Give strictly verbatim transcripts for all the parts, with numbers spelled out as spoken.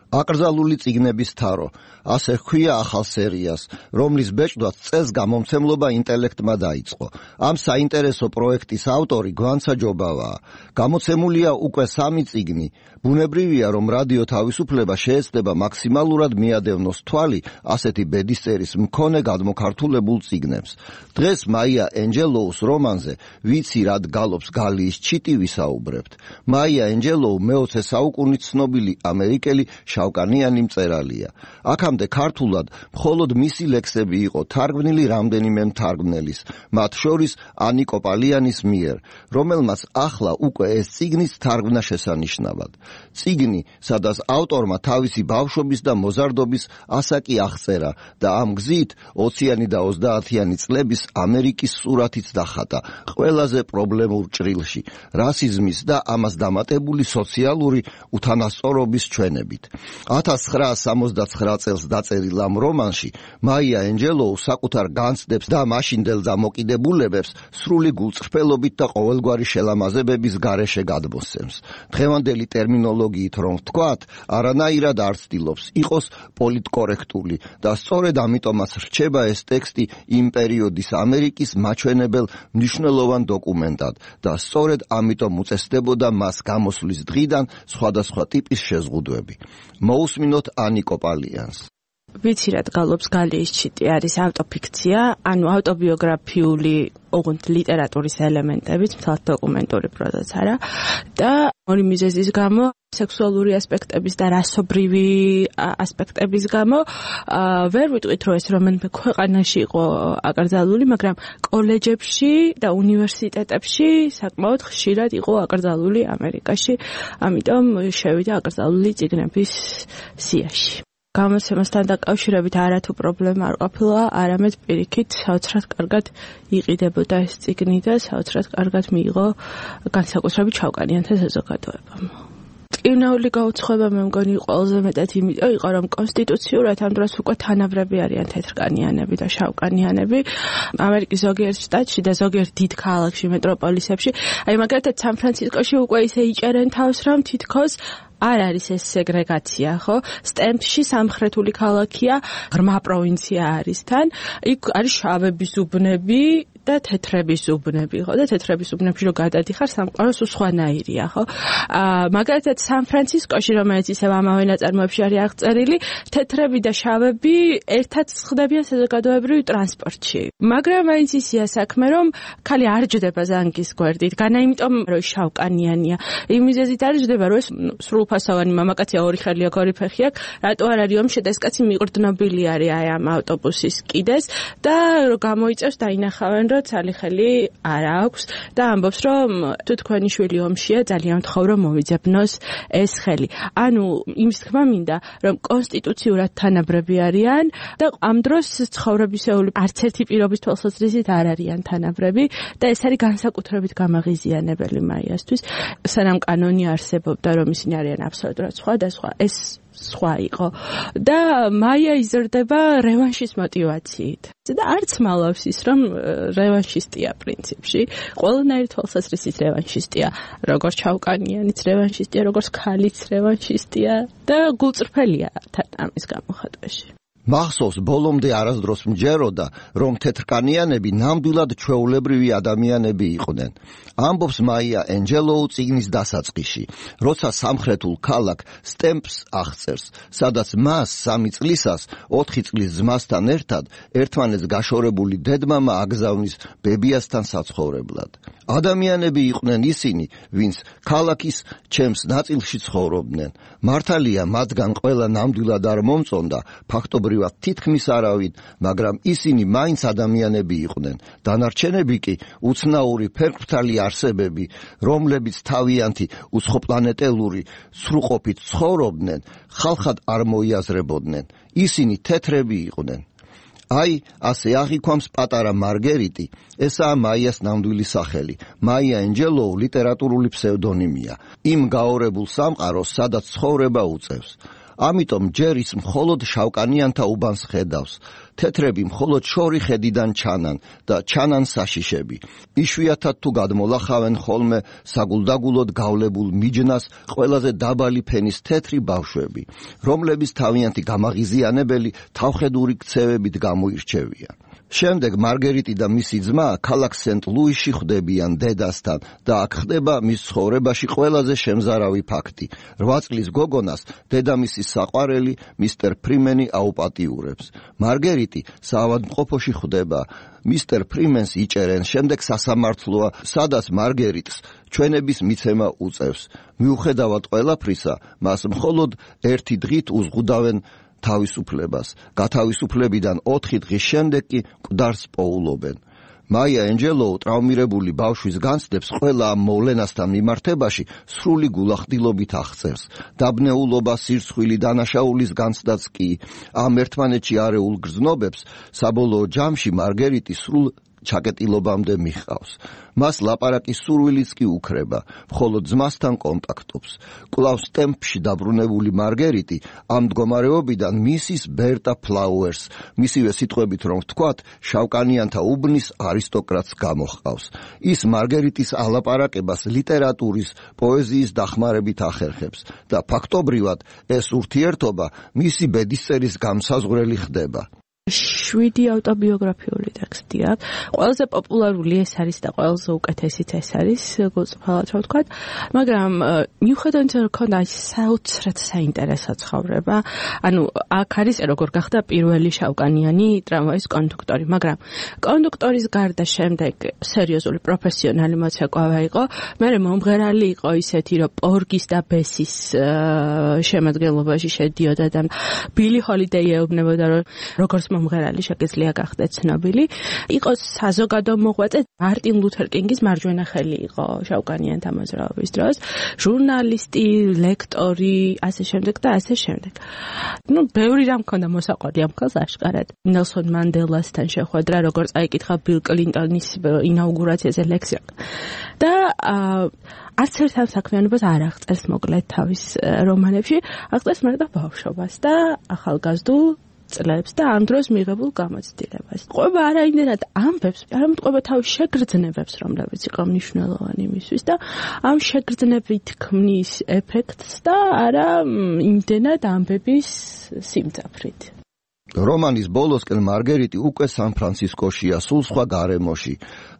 აკრძალული წიგნების თარო, ასე ჰქვია ახალ სერიას, რომლის ბეჭდვაც წელს გამომცემლობა ინტელექტმა დაიწყო. ამ საინტერესო პროექტის ავტორი გვანცა ჯობავაა. გამოცემულია უკვე სამი წიგნი. ბუნებრივია, რომ რადიო თავისუფლება შეეცდება მაქსიმალურად მიადევნოს თვალი ასეთი ბედისწერის მქონე გადმოქართულებულ წიგნებს. დღეს მაია ენჯელოუს რომანზე ვიცი რად გალობს გალიის ჩიტი ვისაუბრებთ. მაია ენჯელოუ მეოცე საუკუნის ცნობილი ამერიკელი შავკანიანი მწერალია. აქამდე ქართულად მხოლოდ მისი ლექსები იყო თარგმნილი რამდენიმე მთარგმნელის, მათ შორის ანი კოპალიანის მიერ, რომელმაც ახლა უკვე ეს წიგნიც თარგმნა შესანიშნავად. წიგნი, სადაც ავტორმა თავისი ბავშვობის და მოზარდობის ასაკი აღწერა და ამ გზით ოციანი და ოცდაათიანი წლების ამერიკის სურათიც დახატა ყველაზე პრობლემურ ჭრილში, რასიზმის და ამას დამატებული სოციალური უთანასწორობის ჩვენებით. ათას ცხრაას სამოცდაცხრა წელს დაწერილ ამ რომანში მაია ენჯელოუ საკუთარ განცდებს და მაშინდელ დამოკიდებულებებს სრული გულწრფელობით და ყოველგვარი შელამაზებების გარეშე გადმოსცემს. დღევანდელი ტერმინოლოგიით რომ ვთქვათ, არანაირად არ ცდილობს იყოს პოლიტკორექტული და სწორედ ამიტომაც რჩება ეს ტექსტი იმ პერიოდის ამერიკის მაჩვენებელ მნიშვნელოვან დოკუმენტად და სწორედ ამიტომ უწესდებოდა მას გამოსვლის დღიდან სხვადასხვა ტიპის შეზღუდვები. მოусმინოთ ანი კოპალიანს. ვიცი რად გალობს გალიის ჩიტი არის ავტოფიქცია, ანუ ავტობიოგრაფიული ოღონდ ლიტერატურის ელემენტებით, მთლად დოკუმენტური პროზაც არა და ორი მიზეზის გამო სექსუალური ასპექტების და რასობრივი ასპექტების გამო ვერ ვიტყვით, რომ ეს რომელიმე ქვეყანაში იყო აკრძალული, მაგრამ კოლეჯებში და უნივერსიტეტებში საკმაოდ ხშირად იყო აკრძალული ამერიკაში, ამიტომ შევიდა აკრძალული წიგნების სიაში. გამოცემასთან დაკავშირებით არათუ პრობლემა არ ყოფილა, არამედ პირიქით საოცრად კარგად იყიდებოდა ეს წიგნი და საოცრად კარგად მიიღო განსაკუთრებით შავკანიანთა საზოგადოებამ. ტკივნეული გაუცხოება მე მგონი ყველაზე მეტად იმიტომ იყო, რომ კონსტიტუციურად ამ დროს უკვე თანაბრები არიან თეთრკანიანები და შავკანიანები ამერიკის ზოგიერთ შტატში და ზოგიერთ დიდ ქალაქში, მეტროპოლისებში. აი მაგალითად სან-ფრანცისკოში უკვე ისე იჭერენ თავს, რომ თითქოს არ არის ეს სეგრეგაცია, ხო? სტემპში სამხრეთული ქალაქია, ღრმა პროვინცია არის თან. იქ არის შავების უბნები და თეთრების უბნები, ხო? და თეთრების უბნებში რო გადადიხარ, სამყაროს უსხვანაირია, ხო? აა მაგალითად სან-ფრანცისკოში, რომელიც ისევ ამავე ნაწარმოებში არის აღწერილი, თეთრები და შავები ერთად ხდებიან საზოგადოებრივ ტრანსპორტში. მაგრამ მაინც ისია საქმე, რომ ქალი არ ჯდება ზანგის გვერდით, განა იმიტომ, რომ შავკანიანია. იმ მიზეზით არ ჯდება, რომ ეს სრულ ფასოვანი მამაკაცია, ორი ხელი აქვს, ორი ფეხი აქვს, რატო არ არის ომში და ეს კაცი მიყრდნობილი არის აი ამ ავტობუსის კიდეს და გამოიწევს დაინახავენ, რომ ცალი ხელი არ აქვს და ამბობს, რომ თუ თქვენი შვილი ომშია, ძალიან ვთხოვ, რომ მოვიძებნოს ეს ხელი. ანუ იმის თქმა მინდა, რომ კონსტიტუციურად თანაბრები არიან და ამ დროს ცხოვრებისეული არც ერთი პირობის თვალსაზრისით არ არიან თანაბრები და ეს არის განსაკუთრებით გამაღიზიანებელი მაიასთვის, სანამ კანონი არსებობდა, რომ ისინი არიან აბსოლუტურად სხვა და სხვა ეს სხვა იყო და მაია იზრდება რევანშის мотивაციით და არც მალავს ის რომ რევანშისტია პრინციპში ყველანაირი თვალსაზრისით რევანშისტია როგორც ჩავკანიანიც რევანშისტია როგორც ქალიც რევანშისტია და გულწრფელია თან ამის გამოხატვაში. მახსოვს ბოლომდე არასდროს მჯეროდა, რომ თეთრკანიანები ნამდვილად ჩვეულებრივი ადამიანები იყვნენ. ამბობს მაია ენჯელოუ წიგნის დასაწყისში, როცა სამხრეთულ ქალაქ სტემპს აღწერს, სადაც მას სამი წლისას ოთხი წლის ძმასთან ერთად ერთმანეთს გაშორებული დედმამა აგზავნის ბებიასთან საცხოვრებლად. ადამიანები იყვნენ ისინი, ვინც ქალაქის ჩემს ნაწილში ცხოვრობდნენ. მართალია მათგან ყველა ნამდვილად არ მომწონდა, ფაქტობრივად თითქმის არავინ, მაგრამ ისინი მაინც ადამიანები იყვნენ. დანარჩენები კი უცნაური ფერფრთალი არსებები, რომლებიც თავიანთი უცხოპლანეტელური სრულყოფით ცხოვრობდნენ, ხალხად არ მოიაზრებოდნენ. ისინი თეთრები იყვნენ. აი, ასე აღიქვამს პატარა მარგერიტი, ესაა მაიას ნამდვილი სახელი. მაია ენჯელოუ ლიტერატურული ფსევდონიმია. იმ გაორებულ სამყაროს, სადაც ცხოვრება უწევს. ამიტომ ჯერ ის მხოლოდ შავკანიანთა უბანს ხედავს. თეთრები მხოლოდ შორი ხედიდან ჩანან და ჩანან საშიშები. იშვიათად თუ გადმოლახავენ ხოლმე საგულდაგულოდ გავლებულ მიჯნას ყველაზე დაბალი ფენის თეთრი ბავშვები, რომლების თავიანთი გამაღიზიანებელი თავხედური ქცევებით გამოირჩევიან. შემდეგ მარგერიტი და მისი ძმა ქალაქ სენტ-ლუისში ხვდებიან დედასთან და აქ ხდება მის ცხოვრებაში ყველაზე შემზარავი ფაქტი. რვა წლის გოგონას დედამისის საყვარელი მისტერ ფრიმენი აუპატიურებს. მარგერიტი საავადმყოფოში ხვდება. მისტერ ფრიმენს იჭერენ, შემდეგ სასამართლოა, სადაც მარგერიტს ჩვენების მიცემა უწევს. მიუხედავად ყველაფრისა, მას მხოლოდ ერთი დღით უზღუდავენ თავისუფლებას. გათავისუფლებიდან ოთხი დღის შემდეგ კი მკვდარს პოულობენ. მაია ენჯელოუ ტრავმირებული ბავშვის განცდებს ყველა ამ მოვლენასთან მიმართებაში სრული გულახდილობით აღწერს. დაბნეულობა, სირცხვილი, დანაშაულის განცდაც კი ამ ერთმანეთში არეულ გრძნობებს საბოლოო ჯამში მარგერიტი სრულ ჩაკეტილობამდე მიჰყავს. მას ლაპარაკის სურვილიც კი უქრება, მხოლოდ ძმასთან კონტაქტობს. კვლავ სტემპში დაბრუნებული მარგერიტი ამ მდგომარეობიდან მისის ბერტა ფლაუერს, მისივე სიტყვებით რომ ვთქვათ, შავკანიანთა უბნის არისტოკრატს გამოჰყავს. ის მარგერიტის ალაპარაკებას ლიტერატურის, პოეზიის დახმარებით ახერხებს და ფაქტობრივად ეს ურთიერთობა მისი ბედისწერის გამსაზღვრელი ხდება. შვიდი ავტობიოგრაფიული ტექსტია. ყველაზე პოპულარული ეს არის და ყველაზე უკეთესიც ეს არის, გულწრფელად რა ვთქვათ, მაგრამ მიუხედავად რომ ქონდა ის საოცრად საინტერესო ცხოვრება, ანუ აქ არის როგორ გახდა პირველი შავკანიანი ტრამვაის კონდუქტორი, მაგრამ კონდუქტორის გარდა შემდეგ სერიოზული პროფესიონალი მოცეკვავა იყო, მერე მომღერალი იყო ისეთი, რომ პორგის და ბესის შემადგენლობაში შედიოდა და ბილი ჰოლიდეი ეუბნებოდა, რომ როგორც მომღერალი შეგეძლია გახდეთ ცნობილი. იყო საზოგადო მოღვაწე, მარტინ ლუთერ კინგის მარჯვენა ხელი იყო შავკანიანთა მოძრაობის დროს, ჟურნალისტი, ლექტორი, ასე შემდეგ და ასე შემდეგ. ნუ ბევრი რამ მქონდა მოსაყვარი ამ ხელს აშკარად. ნელსონ მანდელასთან შეხვედრა, როგორც აიკითხა ბილ კლინტონის ინაუგურაციაზე ლექსია. და არც ერთ ამ საქმიანობას არ აღწერს მოკლედ თავის რომანებში, აღწერს მაგრამ ბავშვობას და ახალგაზრდულ წლებს და ამ დროს მიღებულ გამოცდილებას. ყვება არა იმდენად ამბებს, არამედ ყვება თავის შეგრძნებებს, რომლებიც იყო მნიშვნელოვანი მისთვის და ამ შეგრძნებით ქმნის ეფექტს და არა იმდენად ამბების სიმძაფრით. რომანის ბოლოსკენ მარგერიტი უკვე სან-ფრანცისკოშია, სულ სხვა გარემოში.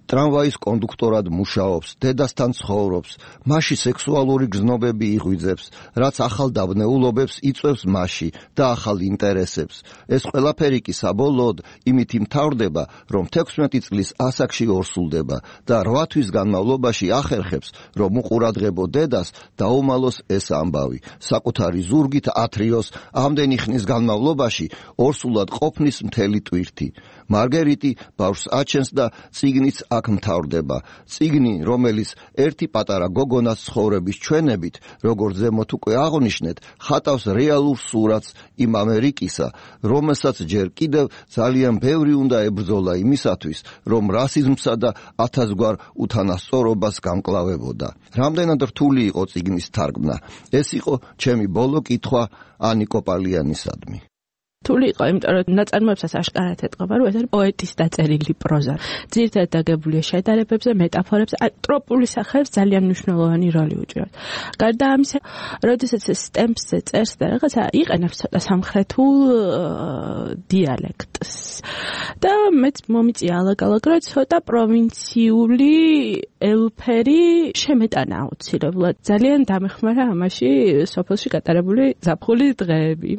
ტრამვაის კონდუქტორად მუშაობს, დედასთან ცხოვრობს, მასში სექსუალური გრძნობები იღვიძებს, რაც ახალ დაბნეულობებს იწვევს მასში და ახალ ინტერესებს. ეს ყველაფერი კი საბოლოოდ იმით იმთავრდება, რომ თექვსმეტი წლის ასაკში ორსულდება და რვა თვის განმავლობაში ახერხებს, რომ უყურადღებო დედას დაუმალოს ეს ამბავი. საკუთარი ზურგით ათრიოს ამდენი ხნის განმავლობაში ორსულად ყოფნის მთელი ტვირთი. მარგერიტი ბავშვს აჩენს და წიგნიც აქ მთავრდება. წიგნი, რომელიც ერთი პატარა გოგონას ცხოვრების ჩვენებით, როგორც ზემოთ უკვე აღნიშნეთ, ხატავს რეალურ სურათს იმ ამერიკისა, რომელსაც ჯერ კიდევ ძალიან ბევრი უნდა ებრძოლა იმისათვის, რომ რასიზმსა და ათასგვარ უთანასწორობას გამკლავებოდა. რამდენად რთული იყო წიგნის თარგმნა. ეს იყო ჩემი ბოლო კითხვა ანი კოპალიანისადმი. რთული იყო, იმიტომ რომ ნაწარმოებსაც აშკარად ეტყობა, რომ ეს არის პოეტის დაწერილი პროზა. ძირითადად დაგებულია შედარებებზე, მეტაფორებზე, ტროპული სახეებს ძალიან მნიშვნელოვანი როლი უჭირავს. გარდა ამისა, როდესაც ეს სტემპსზე წერს და რაღაცა იყენებს ცოტა სამხრეთულ დიალექტს. და მეც მომიწია ალაგ-ალაგ, რომ ცოტა პროვინციული ელფერი შემეტანა აუცილებლად. ძალიან დამეხმარა ამაში სოფელში გატარებული ზაფხულის დღეები.